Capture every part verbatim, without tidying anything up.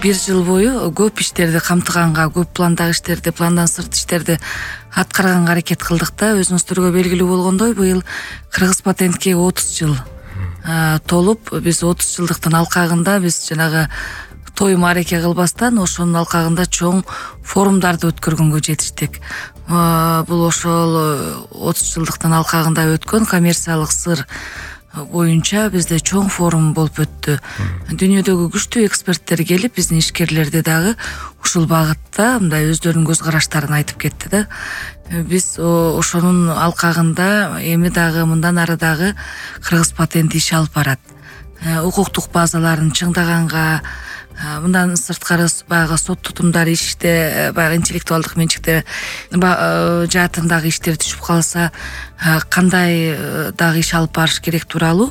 бир жыл бою көп иштерди камтыганга, көп пландагы иштерди, пландан сырт иштерди аткарганга аракет кылдык да. Өзүңүздөргө белгилүү болгондой, быйыл Кыргыз патентке отуз жыл толуп, биз отуз жылдыктын алкагында биз жанагы той маареке кылбастан ошонун алкагында чоң форумдарды өткөргөнгө жетиштик. Бул ошол отуз жылдыктын алкагында өткөн коммерциялык сыр боюнча бизде чоң форум болуп өттү. Дүйнөдөгү күчтүү эксперттер келип, биздин ишкерлерди дагы ушул багытта мындай өздөрүнүн көз караштарын айтып кетти да. Биз ошонун алкагында эми дагы мындан ары дагы Кыргыз патент иш алып барат. Укуктук базаларын чыңдаганга, мындан сырткары баягы сот тутумдары иште, баягы интеллектуалдык менчиктер жаатындагы иштер түшүп калса кандай дагы иш алып барыш керек тууралуу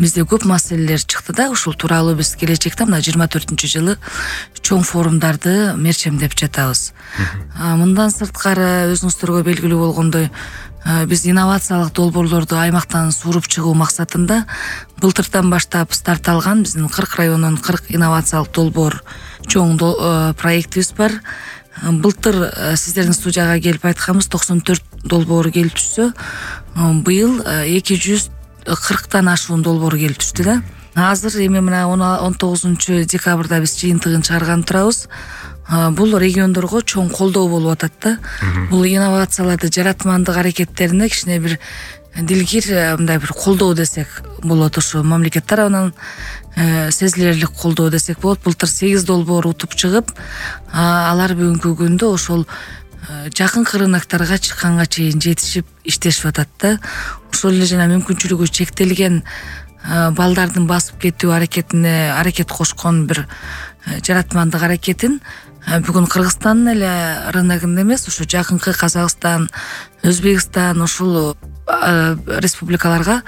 бизде көп маселелер чыкты да. Ушул тууралуу биз келечекте мына жыйырма төртүнчү жылы чоң форумдарды мерчемдеп жатабыз. Мындан сырткары өзүңүздөргө белгилүү болгондой, биз инновациялык долбоорлорду аймактан сууруп чыгуу максатында былтырдан баштап старт алган биздин кырк районунун кырк инновациялык долбоор чоң проектибиз бар. Былтыр сиздердин студияга келип айтканбыз токсон төрт долбоор келип түшсө, быйыл эки жүз кырктан ашуун долбоор келип түштү да. Азыр эми мына он тогузунчу декабрда биз жыйынтыгын чыгарган турабыз. Бул региондорго чоң колдоо болуп атат да. Бул инновацияларды жаратмандык аракеттерине кичине бир дилгир мындай бир колдоо десек болот. Ошо мамлекет тарабынан сезилерлик колдоо десек болот. Былтыр сегиз долбоор утуп чыгып, алар бүгүнкү күндө ошол жакынкы рынокторго чыкканга чейин жетишип иштешип атат да. Ошол эле жана мүмкүнчүлүгү чектелген балдардын басып кетүү аракетине аракет кошкон бир жаратмандык аракетин бүгүн Кыргызстандын эле рыногунда эмес, ошо жакынкы Казакстан, Өзбекстан ушул республикаларга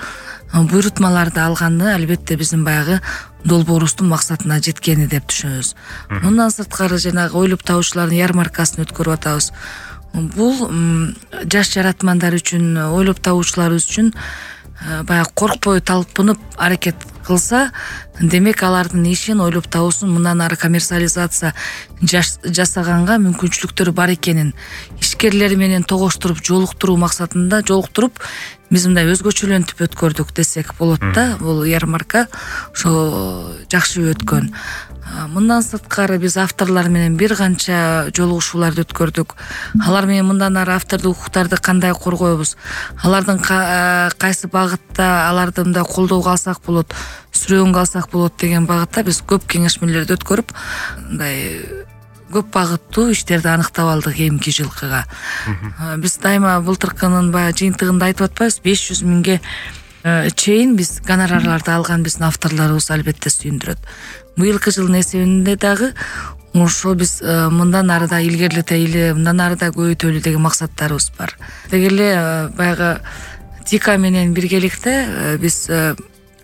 буйрутмаларды алганы албетте биздин баягы долбоорубуздун максатына жеткени деп түшүнөбүз. Мындан сырткары жанагы ойлоп табуучулардын ярмаркасын өткөрүп атабыз. Бул жаш жаратмандар үчүн, ойлоп табуучуларыбыз үчүн баягы коркпой талпынып аракет кылса, демек алардын ишин, ойлоп табуусун мындан ары коммерциализация жасаганга мүмкүнчүлүктөрү бар экенин ишкерлер менен тогоштуруп, жолуктуруу максатында жолуктуруп биз мындай өзгөчөлөнтүп өткөрдүк десек болот да. Бул ярмарка ошо жакшы өткөн. Мындан сырткары биз авторлор менен бир канча жолугушууларды өткөрдүк. Алар менен мындан ары автордук укуктарды кандай коргойбуз, алардын кайсы багытта аларды мындай колдоого алсак болот, сүрөөнгө алсак болот деген багытта биз көп кеңешмелерди өткөрүп, мындай көп багыттуу иштерди аныктап алдык эмки жылкыга. Биз дайыма былтыркынын баягы жыйынтыгында айтып атпайбыз, беш жүз миңге чейин биз гонорарларды алган биздин авторлорубуз албетте сүйүндүрөт. Быйылкы жылдын эсебинде дагы ошо биз мындан ары да илгерилетели, мындан ары да көбөйтөлү деген максаттарыбыз бар. Деги эле баягы ТИКа менен биргеликте биз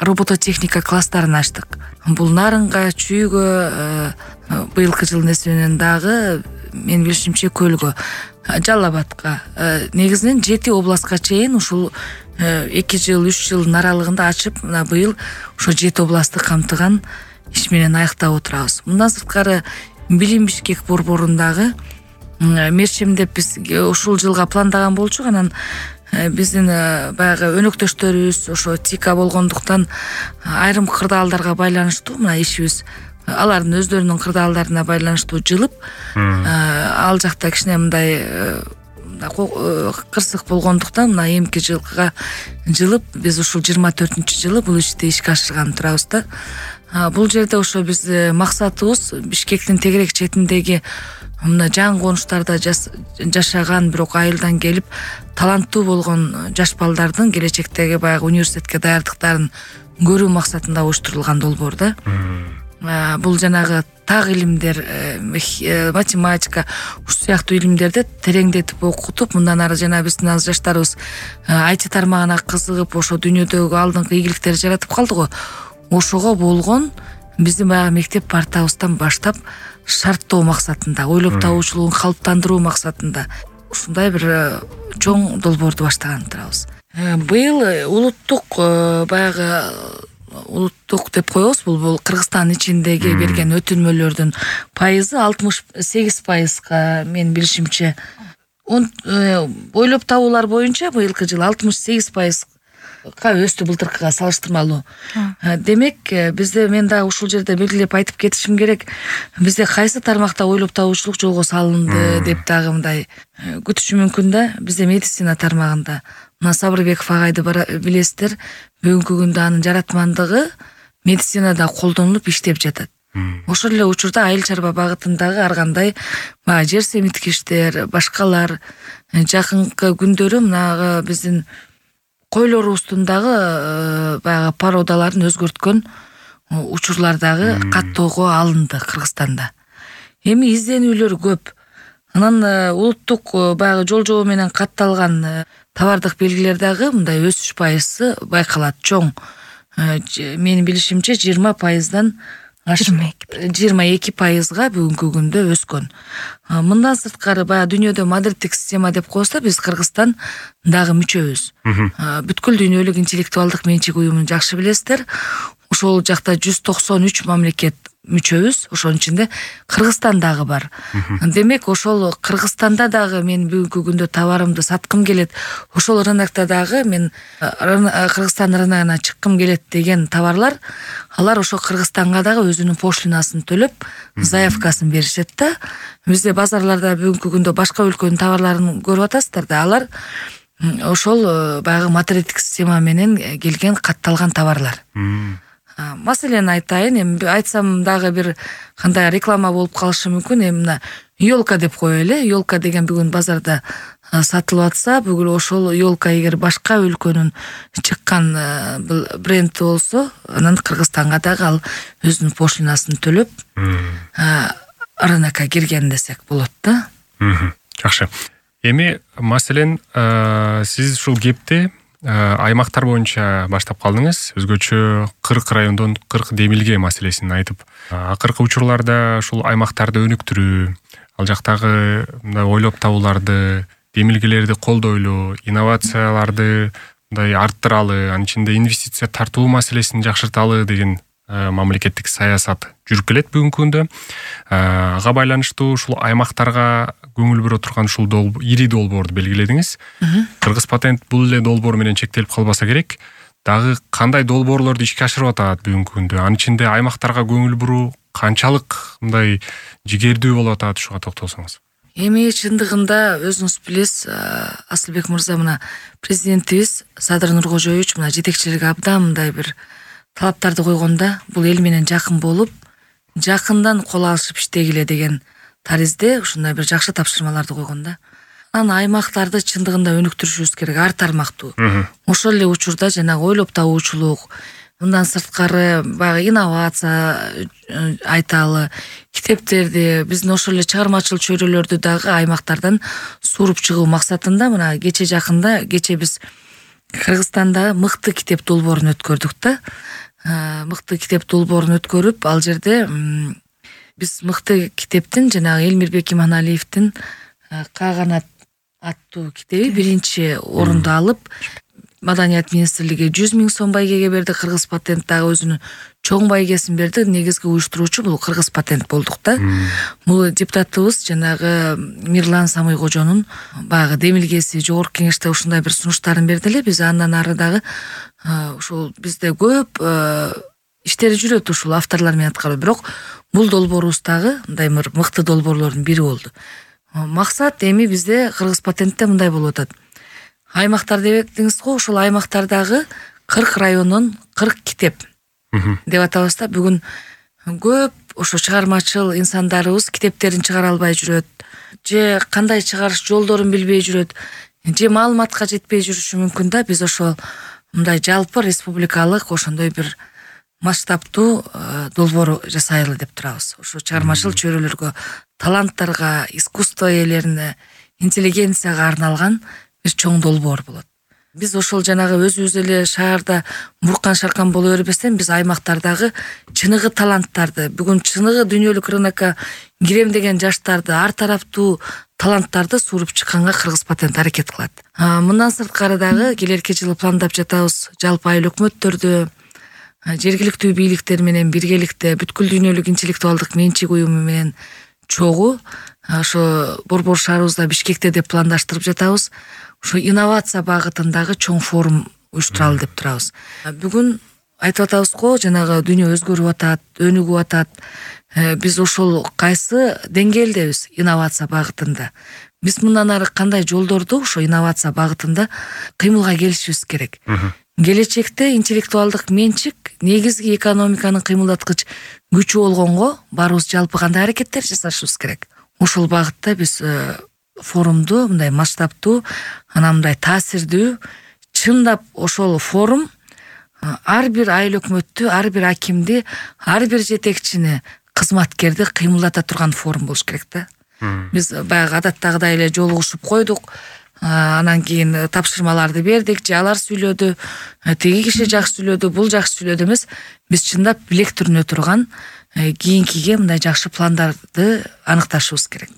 робототехника класстарын ачтык. Бул Нарынга, Чүйгө, быйылкы жылдын эсебинен дагы менин билишимче Көлгө, Жалал Абадка, негизинен жети областка чейин ушул эки жыл, үч жылдын аралыгында ачып, мына быйыл ошо жети областты камтыган иш менен аяктап отурабыз. Мындан сырткары Билим Бишкек борборундагы мерчемдеп биз ушул жылга пландаган болчук. Анан биздин баягы өнөктөштөрүбүз ошо ТИКа болгондуктан айрым кырдаалдарга байланыштуу мына ишибиз алардын өздөрүнүн кырдаалдарына байланыштуу жылып, ал жакта кичине мындай кырсык болгондуктан мына эмки жылкыга жылып биз ушул жыйырма төртүнчү жылы бул ишти ишке ашырган турабыз да. Бул жерде ошо биз максатыбыз Бишкектин тегерек четиндеги мына жан конуштарда жашаган бирок айылдан келип таланттуу болгон жаш балдардын келечектеги баягы университетке даярдыктарын көрүү максатында оюштурулган долбоор да. Бул жанагы так илимдер, математика, ушул сыяктуу илимдерди тереңдетип окутуп, мындан ары жана биздин аз жаштарыбыз ай ти тармагына кызыгып, ошо дүйнөдөгү алдыңкы ийгиликтерди жаратып калды го. Ошого болгон биздин баягы мектеп партабыздан баштап шарттоо максатында, ойлоп табуучулугун калыптандыруу максатында ушундай бир чоң долбоорду баштаган турабыз. Быйыл улуттук баягы улуттук деп коебуз, бул бул Кыргызстан ичиндеги берген өтүнмөлөрдүн пайызы алтымыш сегиз пайызга менин билишимче. Ойлоп табуулар боюнча быйылкы жылы алтымыш сегиз пайызга өстү былтыркыга салыштырмалуу. Демек, бизде мен дагы ушул жерде белгилеп айтып кетишим керек. Бизде кайсы тармакта ойлоп табуучулук жолго салынды деп дагы мындай күтүшү мүмкүн да. Бизде медицина тармагында мына Сабырбеков агайды билесиздер, бүгүнкү күндө анын жаратмандыгы медицинада колдонулуп иштеп жатат. Ошол эле учурда айыл чарба багытындагы ар кандай баягы жер семиткичтер, башкалар жакынкы күндөрү мына биздин койлорубуздун дагы баягы породаларын өзгөрткөн учурлар дагы каттоого алынды Кыргызстанда. Эми изденүүлөр көп. Анан улуттук баягы жол жобо менен катталган товардык белгилер дагы мындай өсүш пайызы байкалат. Чоң менин билишимче жыйырма пайыздан жыйырма эки пайызга бүгүнкү күндө өскөн. Мындан сырткары баягы дүйнөдө модерндик система деп коебуз да, биз Кыргызстан дагы мүчөбүз. Бүткүл дүйнөлүк интеллектуалдык менчик уюмун жакшы билесиздер. Ошол жакта жүз токсон үч мамлекет мүчөбүз. Ошонун ичинде Кыргызстан дагы бар. Демек, ошол Кыргызстанда дагы мен бүгүнкү күндө товарымды саткым келет. Ошол рынокто дагы мен Кыргызстан рыногуна чыккым келет деген товарлар, алар ошо Кыргызстанга дагы өзүнүн пошлинасын төлөп, заявкасын беришет да. Бизде базарларда бүгүнкү күндө башка өлкөнүн товарларын көрүп атасыздар да, алар ошол баягы модерндик система менен келген катталган товарлар. Маселени айтайын, эми айтсам дагы бир кандай реклама болуп калышы мүмкүн. Эми мына ёлка деп коелу. Ёлка деген бүгүн базарда сатылып атса, бүгүн ошол ёлка эгер башка өлкөнүн чыккан бренд болсо, анан Кыргызстанга дагы ал өзүнүн пошлинасын төлөп рынокко кирген десек болот да. Жакшы. Эми маселен, сиз ушул кепти аймактар боюнча баштап калдыңыз. Өзгөчө кырк райондон кырк демилге маселесин айтып, акыркы учурларда ушул аймактарды өнүктүрүү, ал жактагы мындай ойлоп табууларды, демилгелерди колдойлу, инновацияларды мындай арттыралы, анын ичинде инвестиция тартуу маселесин жакшырталы деген мамлекеттик саясат жүрүп келет бүгүнкү күндө. Ага байланыштуу ушул аймактарга көңүл бура турган ушул ири долбоорду белгиледиңиз. Кыргыз патент бул эле долбоор менен чектелип калбаса керек. Дагы кандай долбоорлорду ишке ашырып атат бүгүнкү күндө? Анын ичинде аймактарга көңүл буруу канчалык мындай жигердүү болуп атат, ушуга токтолсоңуз. Эми чындыгында өзүңүз билесиз, Асылбек мырза, мына президентибиз Садыр Нуркожоевич мына жетекчилиги абдан мындай бир талаптарды койгонда, бул эл менен жакын болуп, жакындан кол алышып иштегиле деген таризде ушундай бир жакшы тапшырмаларды койгон да. Анан аймактарды чындыгында өнүктүрүшүбүз керек, ар тармактуу. Ошол эле учурда жанагы ойлоп табуучулук, мындан сырткары баягы инновация айталы, китептерди, биздин ошол эле чыгармачыл чөйрөлөрдү дагы аймактардан сууруп чыгуу максатында мына кече жакында, кече биз Кыргызстанда мыкты китеп долбоорун өткөрдүк да. Мыкты китеп долбоорун өткөрүп, ал жерде биз мыкты китептин жанагы Элмирбек Иманалиевдин Кааганат аттуу китеби биринчи орунду алып, Маданият министрлиги жүз миң сом байгеге берди, Кыргыз патент дагы өзүнүн чоң байгесин берди. Негизги уюштуруучу бул Кыргыз патент болдук да. Бул депутатыбыз жанагы Мирлан Самыйкожонун баягы демилгеси жогорку кеңеште ушундай бир сунуштарын берди эле. Биз андан ары дагы ушул бизде көп иштери жүрөт ушул авторлор менен аткаруу. Бирок бул долбоорубуз дагы мындай бир мыкты долбоорлордун бири болду. Максат эми бизде Кыргыз патентте мындай болуп атат. Аймактар дебедиңиз го, ошол аймактардагы кырк райондон кырк китеп деп атабыз да. Бүгүн көп ошо чыгармачыл инсандарыбыз китептерин чыгара албай жүрөт, же кандай чыгарыш жолдорун билбей жүрөт, же маалыматка жетпей жүрүшү мүмкүн да. Биз ошол мындай жалпы республикалык ошондой бир масштабтуу долбоор жасайлы деп турабыз. Ошо чыгармачыл чөйрөлөргө, таланттарга, искусство ээлерине, интеллигенцияга арналган бир чоң долбоор болот. Биз ошол жанагы өзүбүз эле шаарда буркан шаркан боло бербестен, биз аймактардагы чыныгы таланттарды, бүгүн чыныгы дүйнөлүк рынокко кирем деген жаштарды, ар тараптуу таланттарды сууруп чыкканга Кыргыз патент аракет кылат. Мындан сырткары дагы келерки жылы пландап жатабыз жалпы айыл өкмөттөрдү, жергиликтүү бийликтер менен биргеликте бүткүл дүйнөлүк интеллектуалдык менчик уюму менен чогуу ошо борбор шаарыбызда Бишкекте деп пландаштырып жатабыз. Ошо инновация багытындагы чоң форум уюштуралы деп турабыз. Бүгүн айтып атабыз го, жанагы дүйнө өзгөрүп атат, өнүгүп атат. Биз ошол кайсы деңгээлдебиз инновация багытында? Биз мындан ары кандай жолдорду ошо инновация багытында кыймылга келишибиз керек. Келечекте интеллектуалдык менчик негизги экономиканын кыймылдаткыч күчү болгонго баарыбыз жалпы кандай аракеттер жасашыбыз керек. Ошол багытта биз форумду мындай масштабтуу, анан мындай таасирдүү, чындап ошол форум ар бир айыл өкмөттү, ар бир акимди, ар бир жетекчини, кызматкерди кыймылдата турган форум болуш керек да. Биз баягы адаттагыдай эле жолугушуп койдук, анан кийин тапшырмаларды бердик, же алар сүйлөдү, тиги киши жакшы сүйлөдү, бул жакшы сүйлөдү эмес. Биз чындап билектүрүнө турган кийинкиге мындай жакшы пландарды аныкташыбыз керек.